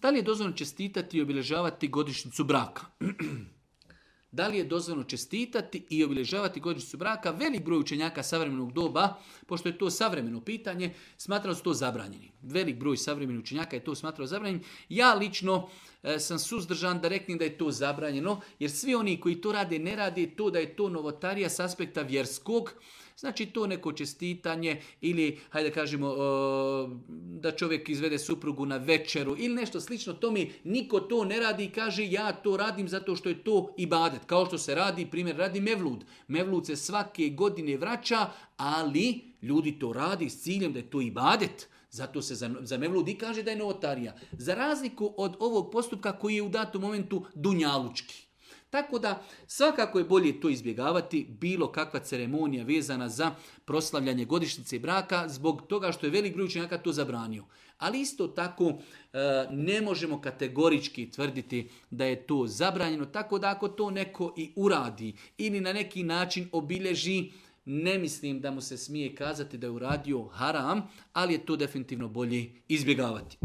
Da li je dozvoljeno čestitati i obilježavati godišnjicu braka? Da li je dozvoljeno čestitati i obilježavati godišnjicu braka? Velik broj učenjaka savremenog doba, pošto je to savremeno pitanje, smatrao su to zabranjeni. Velik broj savremenih učenjaka je to smatrao zabranjenim. Ja lično sam suzdržan da reknem da je to zabranjeno, jer svi oni koji to rade ne rade to da je to novotarija s aspekta vjerskog. Znači to neko čestitanje ili, hajde kažemo, da čovjek izvede suprugu na večeru ili nešto slično tome, niko to ne radi i kaže ja to radim zato što je to ibadet. Kao što se radi, primjer, radi mevlud. Mevlud se svake godine vraća, ali ljudi to radi s ciljem da je to ibadet. Zato se za mevlud i kaže da je novotarija. Za razliku od ovog postupka koji je u datom momentu dunjalučki. Tako da svakako je bolje to izbjegavati, bilo kakva ceremonija vezana za proslavljanje godišnjice braka, zbog toga što je velik broj učenjaka to zabranio. Ali isto tako ne možemo kategorički tvrditi da je to zabranjeno, tako da ako to neko i uradi ili na neki način obilježi, ne mislim da mu se smije kazati da je uradio haram, ali je to definitivno bolje izbjegavati.